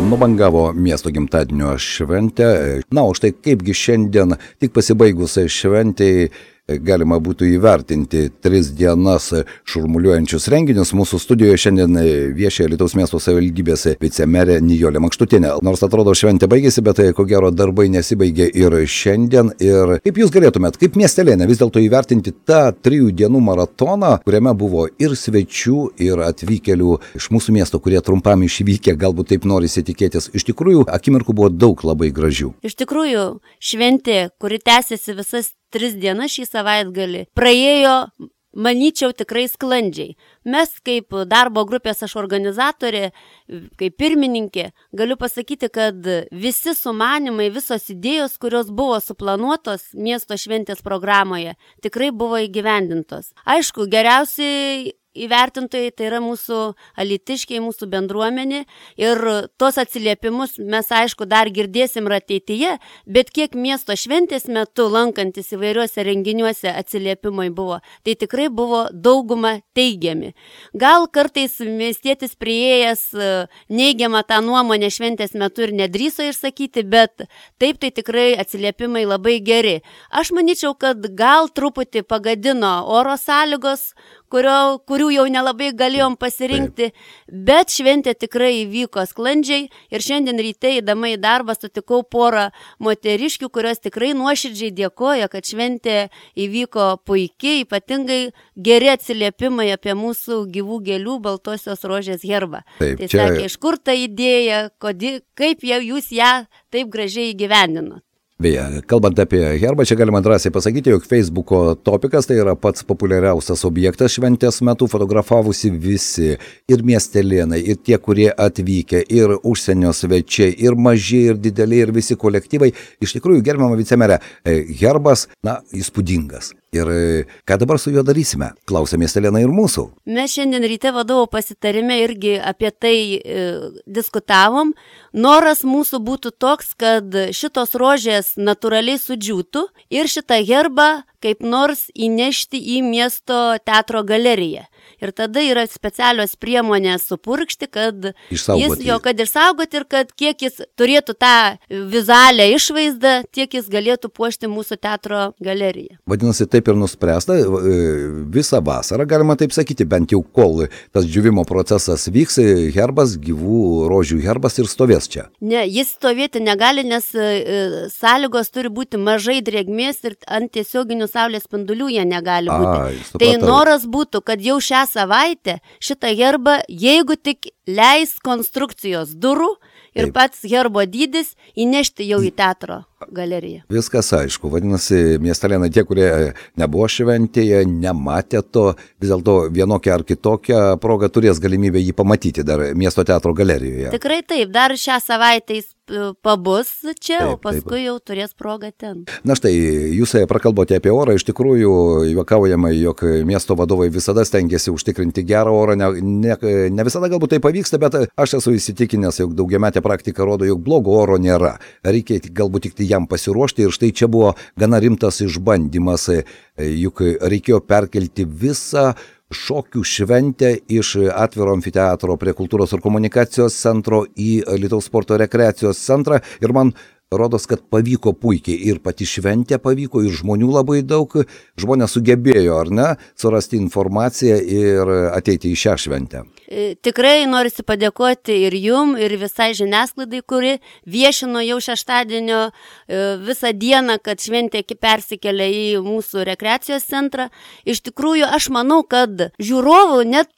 Nubangavo miesto gimtadienio šventę. Na, o štai kaipgi šiandien tik pasibaigus šventėj galima būtų įvertinti 3 dienas šurmuliuojančius renginius. Mūsų studijoje šiandien viešia Alytaus miesto savivaldybės vicemerė Nijolė Mankštutinė. Nors atrodo šventė baigėsi, bet ko gero darbai nesibaigė ir šiandien. Ir kaip jūs galėtumėt, kaip miestelėnė, vis dėlto įvertinti tą 3 dienų maratoną, kuriame buvo ir svečių, ir atvykėlių iš mūsų miesto, kurie trumpam išvykę, galbūt taip norisi tikėtis. Iš tikrųjų, akimirkų buvo daug labai gražių. Iš tikrųjų, šventė, kuri tęsiasi visas 3 dienas šį savaitgalį, praėjo, manyčiau, tikrai sklandžiai. Mes kaip darbo grupės aš organizatorė, kaip pirmininkė, galiu pasakyti, kad visi sumanimai, visos idėjos, kurios buvo suplanuotos miesto šventės programoje, tikrai buvo įgyvendintos. Aišku, geriausiai įvertintojai tai yra mūsų alytiškiai, mūsų bendruomenė ir tos atsiliepimus mes aišku dar girdėsim ir ateityje, bet kiek miesto šventės metu lankantis įvairiuose renginiuose atsiliepimai buvo, tai tikrai buvo dauguma teigiami. Gal kartais miestietis priėjęs neigiamą tą nuomonę šventės metu ir nedrįso išsakyti, bet taip tai tikrai atsiliepimai labai geri. Aš manyčiau, kad gal truputį pagadino oro sąlygos, kurių jau nelabai galėjom pasirinkti, bet šventė tikrai įvyko sklandžiai ir šiandien ryte įdama į darbą sutikau porą moteriškių, kurios tikrai nuoširdžiai dėkoja, kad šventė įvyko puikiai, ypatingai geri atsiliepimai apie mūsų gyvų gėlių baltosios rožės herbą. Tai sakė, iš kur ta idėja, kaip jūs ją taip gražiai įgyvendinot. Beje, kalbant apie herbą, čia galima drąsiai pasakyti, jog Facebooko topikas tai yra pats populiariausias objektas šventės metu, fotografavosi visi, ir miestelėnai, ir tie, kurie atvykę, ir užsienio svečiai, ir maži, ir dideli, ir visi kolektyvai. Iš tikrųjų, gerbiama vicemerė, herbas, įspūdingas. Ir ką dabar su juo darysime? Klausia miestelėnai ir mūsų. Mes šiandien ryte vadovo pasitarime irgi apie tai diskutavom. Noras mūsų būtų toks, kad šitos rožės natūraliai sudžiūtų ir šitą herbą kaip nors įnešti į miesto teatro galeriją. Ir tada yra specialios priemonės supurkšti, kad išsaugoti ir kad kiek jis turėtų tą vizualią išvaizdą, tiek jis galėtų puošti mūsų teatro galeriją. Vadinasi, taip ir nuspręsta, visą vasarą, galima taip sakyti, bent jau kol tas džiūvimo procesas vyks, herbas, gyvų rožių herbas ir stovės čia. Ne, jis stovėti negali, nes sąlygos turi būti mažai drėgmės ir ant tiesioginių saulės spindulių jie negali būti. Tai noras būtų, kad jau šią savaitę šitą herbą, jeigu tik leis konstrukcijos durų ir pats herbo dydis, įnešti jau į teatro galeriją. Viskas aišku, vadinasi, miestelėnai, tie, kurie nebuvo šventėje, nematė to, vis dėlto vienokią ar kitokią progą turės galimybę jį pamatyti dar miesto teatro galerijoje. Tikrai taip, dar šią savaitę jis pabus čia, o paskui jau turės progą ten. Na štai, jūs prakalbote apie orą, iš tikrųjų juokaujama, jog miesto vadovai visada stengiasi užtikrinti gerą orą, ne visada galbūt tai pavyksta, bet aš esu įsitikinęs, jog daugiametė praktika rodo, jog blogo oro nėra. Reikia galbūt tik jam pasiruošti ir štai čia buvo gana rimtas išbandymas, juk reikėjo perkelti visą šokių šventę iš atviro amfiteatro prie kultūros ir komunikacijos centro į Alytaus sporto rekreacijos centrą ir man rodos, kad pavyko puikiai ir pati šventė pavyko ir žmonių labai daug, žmonės sugebėjo, ar ne, surasti informaciją ir ateiti į šią šventę. Tikrai norisi padėkoti ir jum, ir visai žiniasklaidai, kuri viešino jau šeštadienio visą dieną, kad šventė persikelia į mūsų rekreacijos centrą. Iš tikrųjų, aš manau, kad žiūrovų net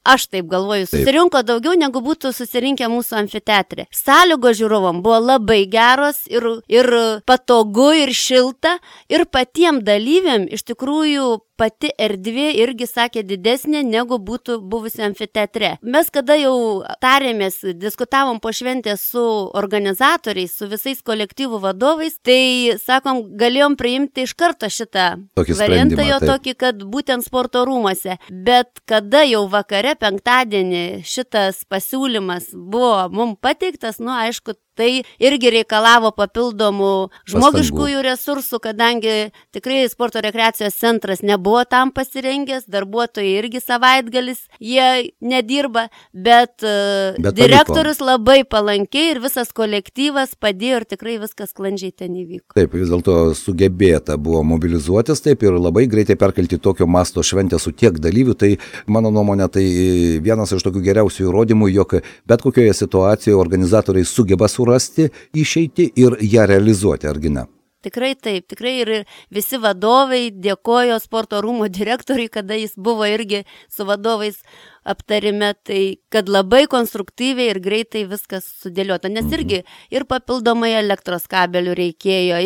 aš taip galvoju, susirinko daugiau negu būtų susirinkę mūsų amfiteatre. Sąlygos žiūrovom buvo labai geros ir patogu ir šilta ir patiem dalyviam iš tikrųjų pati erdvė irgi sakė didesnė negu būtų buvusi amfiteatre. Mes kada jau tarėmės, diskutavom po šventės su organizatoriais, su visais kolektyvų vadovais, tai sakom, galėjom priimti iš karto šitą variantą jo tokį, kad būtent sporto rūmuose. Bet kada jau vakare penktadienį šitas pasiūlymas buvo mums pateiktas, aišku, Tai irgi reikalavo papildomų žmogiškųjų resursų, kadangi tikrai sporto rekreacijos centras nebuvo tam pasirengęs, darbuotojai irgi savaitgalis, jie nedirba, bet direktorius labai palankiai ir visas kolektyvas padėjo ir tikrai viskas sklandžiai ten įvyko. Taip, vis dėlto sugebėta buvo mobilizuotis taip ir labai greitai perkelti tokio masto šventę su tiek dalyvių, tai mano nuomonė tai vienas iš tokių geriausių įrodymų, jog bet kokioje situacijoje organizatoriai sugeba surasti išeitį ir ją realizuoti, argi ne? Tikrai taip, tikrai ir visi vadovai dėkojo sporto rūmų direktoriui, kada jis buvo irgi su vadovais aptarime, tai kad labai konstruktyviai ir greitai viskas sudėliota, nes irgi ir papildomai elektros kabelių reikėjo,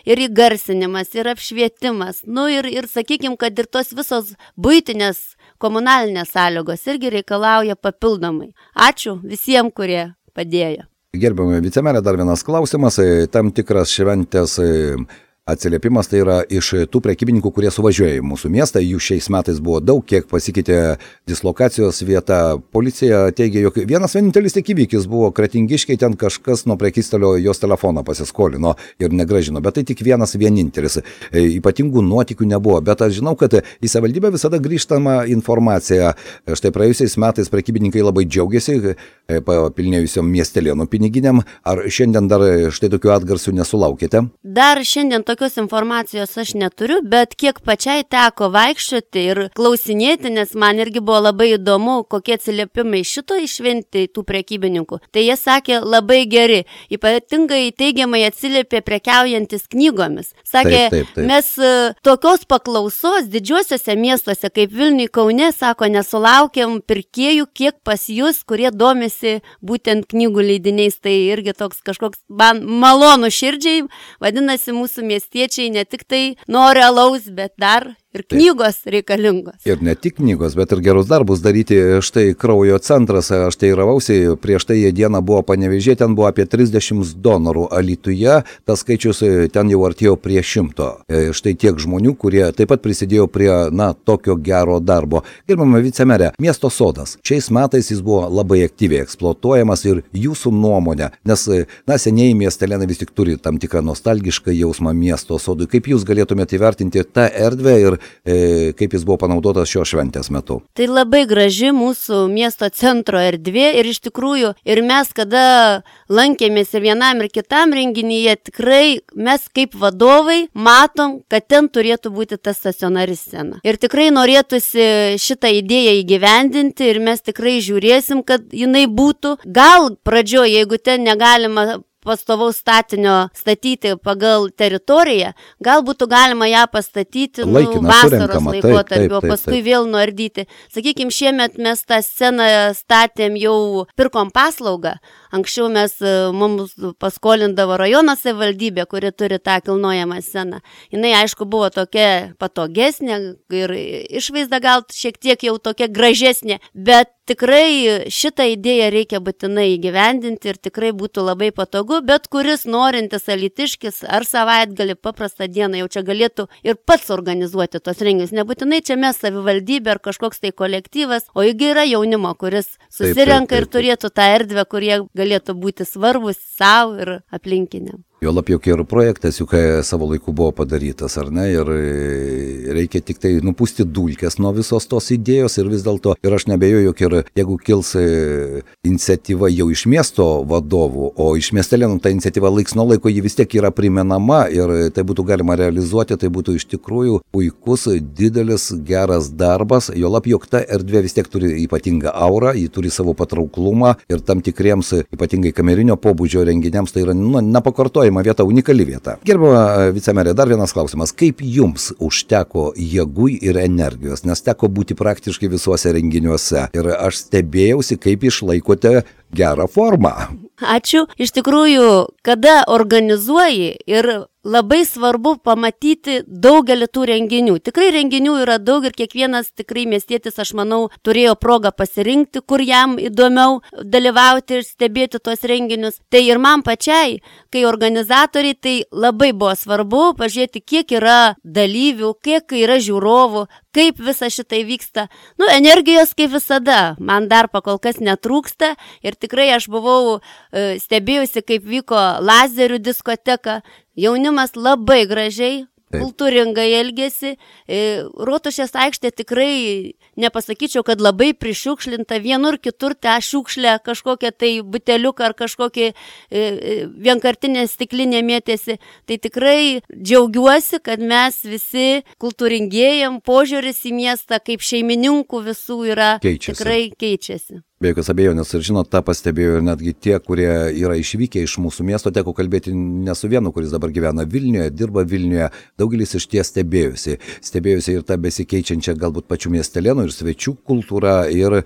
ir įgarsinimas, ir apšvietimas, ir sakykim, kad ir tos visos buitinės komunalinės sąlygos irgi reikalauja papildomai. Ačiū visiems, kurie padėjo. Gerbiamą vicemerę, dar vienas klausimas, tam tikras šventės atsiliepimas, tai yra iš tų prekybininkų, kurie suvažiuoja į mūsų miestą, jų šiais metais buvo daug, kiek pasikeitė dislokacijos vieta. Policija teigia, jog vienas vienintelis tik įvykis buvo Kretingiškiai, ten kažkas nuo prekystalio jos telefoną pasiskolino ir negrąžino, bet tai tik vienintelis. Ypatingų nuotykių nebuvo, bet aš žinau, kad į savivaldybę visada grįžtama informacija. Štai praėjusiais metais prekybininkai labai džiaugiasi papilnėjusiom miestelėnų piniginiam. Ar šiandien dar štai tokių atgarsių nesulaukėte? Dar šiandien tokios informacijos aš neturiu, bet kiek pačiai teko vaikščioti ir klausinėti, nes man irgi buvo labai įdomu, kokie atsiliepimai šito išventi tų prekybininkų. Tai jie sakė labai geri, ypatingai teigiamai atsiliepė prekiaujantis knygomis. Sakė, taip. Mes tokios paklausos didžiuosiuose miestuose kaip Vilniuje, Kaune, sako, nesulaukėm pirkėjų, kiek pas jūs, kurie domisi būtent knygų leidiniais. Tai irgi toks kažkoks man malonu širdžiai, vadinasi, mūsų miestiečiai ne tik tai nori alaus, bet dar ir knygos reikalingos. Ir ne tik knygos, bet ir gerus darbus daryti. Štai kraujo centras, aš tai ravausi, prieš tai dieną buvo Panevėžyje, ten buvo apie 30 donorų, Alytuje tas skaičius ten jau artėjo prie 100. Štai tiek žmonių, kurie taip pat prisidėjo prie, tokio gero darbo. Gerbiama vicemerė, miesto sodas. Šiais metais jis buvo labai aktyviai eksploatuojamas ir jūsų nuomonė, nes, senieji miestelėnai vis tik turi tam tikrą nostalgišką jausmą miesto sodui. Kaip jūs galėtumėte įvertinti tą erdvę ir kaip jis buvo panaudotas šios šventės metu? Tai labai graži mūsų miesto centro erdvė ir iš tikrųjų ir mes, kada lankėmės ir vienam ir kitam renginyje, tikrai mes kaip vadovai matom, kad ten turėtų būti ta stacionari scena. Ir tikrai norėtųsi šitą idėją įgyvendinti ir mes tikrai žiūrėsim, kad jinai būtų. Gal pradžioje, jeigu ten negalima pastovaus statinio statyti pagal teritoriją, gal būtų galima ją pastatyti vasaros laikotarpio, paskui vėl nuardyti. Sakykime, šiemet mes tą sceną statėm, jau pirkom paslaugą. Anksčiau mums paskolindavo rajono savivaldybė, kuri turi tą kilnojamą sceną. Jinai, aišku, buvo tokia patogesnė ir išvaizda gal šiek tiek jau tokia gražesnė, bet tikrai šitą idėją reikia būtinai įgyvendinti ir tikrai būtų labai patogu, bet kuris norintis alytiškis ar savaitgalį paprastą dieną jau čia galėtų ir pats organizuoti tos renginius. Nebūtinai čia mes savivaldybė ar kažkoks tai kolektyvas, o juk yra jaunimo, kuris susirenka ir turėtų tą erdvę, kurie galėtų būti svarbus savo ir aplinkiniam. Jo labiau, ir projektas juk savo laiku buvo padarytas, ar ne, ir reikia tik tai nupūsti dulkes nuo visos tos idėjos ir vis dėlto, ir aš nebejoju, jog ir jeigu kils iniciatyva jau iš miesto vadovų, o iš miestelėnų ta iniciatyva laiks nuo laiko ji vis tiek yra primenama ir tai būtų galima realizuoti, tai būtų iš tikrųjų puikus, didelis, geras darbas, jo labiau, jog ta erdvė vis tiek turi ypatingą aurą, ji turi savo patrauklumą ir tam tikriems, ypatingai kamerinio pobūdžio renginiams, tai yra nepakartojama vieta, unikali vieta. Gerbiama vicemerė, dar vienas klausimas. Kaip jums užteko jėgų ir energijos, nes teko būti praktiškai visuose renginiuose ir aš stebėjausi, kaip išlaikote gerą formą. Ačiū. Iš tikrųjų, kada organizuoji ir labai svarbu pamatyti daugelį tų renginių. Tikrai renginių yra daug ir kiekvienas tikrai miestietis, aš manau, turėjo progą pasirinkti, kur jam įdomiau dalyvauti ir stebėti tuos renginius. Tai ir man pačiai, kai organizatoriai, tai labai buvo svarbu pažiūrėti, kiek yra dalyvių, kiek yra žiūrovų, kaip visa šitai vyksta. Energijos kaip visada, man dar pakol kas netrūksta ir tikrai aš buvau stebėjusi, kaip vyko lazerių diskoteka. Jaunimas labai gražiai, kultūringai elgėsi. Rotušės aikštė tikrai nepasakyčiau, kad labai prišiukšlinta. Vienur kitur tą šiukšlę kažkokią tai buteliuką ar kažkokį vienkartinę stiklinę mėtėsi. Tai tikrai džiaugiuosi, kad mes visi kultūringėjam, požiūris į miestą kaip šeimininkų visų yra tikrai keičiasi. Be jokios abejonės ir žinot, tą pastebėjo ir netgi tie, kurie yra išvykę iš mūsų miesto, teko kalbėti ne su vienu, kuris dabar gyvena Vilniuje, dirba Vilniuje, daugelis iš ties stebėjusi ir tą besikeičiančią galbūt pačių miestelėnų ir svečių kultūrą ir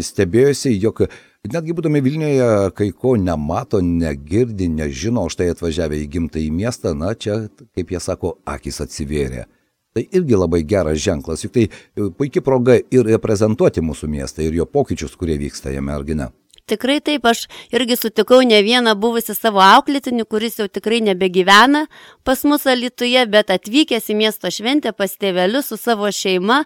stebėjusi, jog netgi būdami Vilniuje kai ko nemato, negirdi, nežino, štai atvažiavę į gimtąjį miestą, čia, kaip jie sako, akys atsivėrė. Tai irgi labai geras ženklas, juk tai puikia proga ir reprezentuoti mūsų miestą ir jo pokyčius, kurie vyksta jame, argi ne? Tikrai taip, aš irgi sutikau ne vieną buvusi savo auklėtinį, kuris jau tikrai nebegyvena pas mus Alytuje, bet atvykęs į miesto šventę pas tėvelius su savo šeima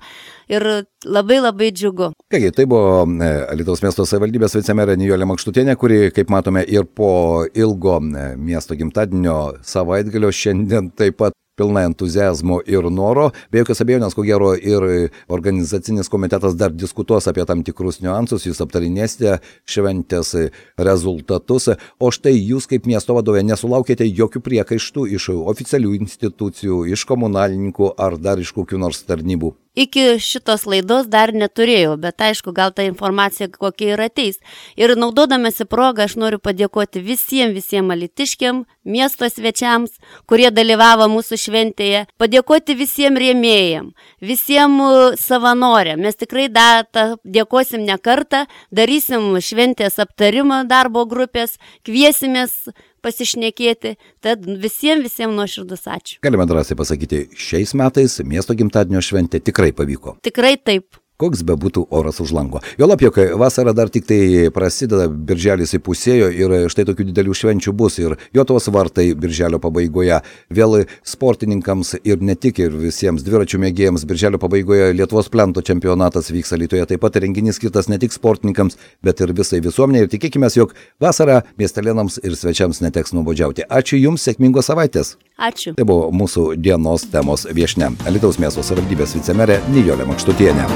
ir labai labai džiugu. Kągi, tai buvo Alytaus miesto savivaldybės vicemerė Nijolė Makštutienė, kuri, kaip matome, ir po ilgo miesto gimtadienio savaitgalio šiandien taip pat pilna entuzijazmo ir noro. Be jokios abejonės, ko gero, ir organizacinis komitetas dar diskutuos apie tam tikrus niuansus, jūs aptarinėsite šventės rezultatus. O štai jūs kaip miesto vadovė nesulaukėte jokių priekaištų iš oficialių institucijų, iš komunalininkų ar dar iš kokių nors tarnybų? Iki šitos laidos dar neturėjau, bet aišku, gal ta informacija kokia ir ateis. Ir naudodamasi progą, aš noriu padėkoti visiems alytiškiam, miesto svečiams, kurie dalyvavo mūsų šventėje, padėkoti visiems rėmėjam, visiems savanoriam. Mes tikrai dėkosim ne kartą, darysim šventės aptarimą darbo grupės, kviesimės pasišnekėti, tad visiems nuoširdus ačiū. Galime drąsiai pasakyti, šiais metais miesto gimtadienio šventė tikrai pavyko. Tikrai taip. Koks bebūtų oras už lango. Juolab, jog vasara dar tik tai prasideda, birželis įpusėjo ir štai tokių didelių švenčių bus ir Jotavos vartai birželio pabaigoje, vėl sportininkams ir ne tik ir visiems dviračių mėgėjams birželio pabaigoje Lietuvos plento čempionatas vyks Alytuje, taip pat renginys skirtas ne tik sportininkams, bet ir visai visuomeniai ir tikėkime, jog vasarą miestelėnams ir svečiams neteks nuobodžiauti. Ačiū Jums, sėkmingos savaitės. Ačiū. Tai buvo mūsų dienos temos viešnia, Alytaus miesto savivaldybės vicemerė Nijolė Makštutienė.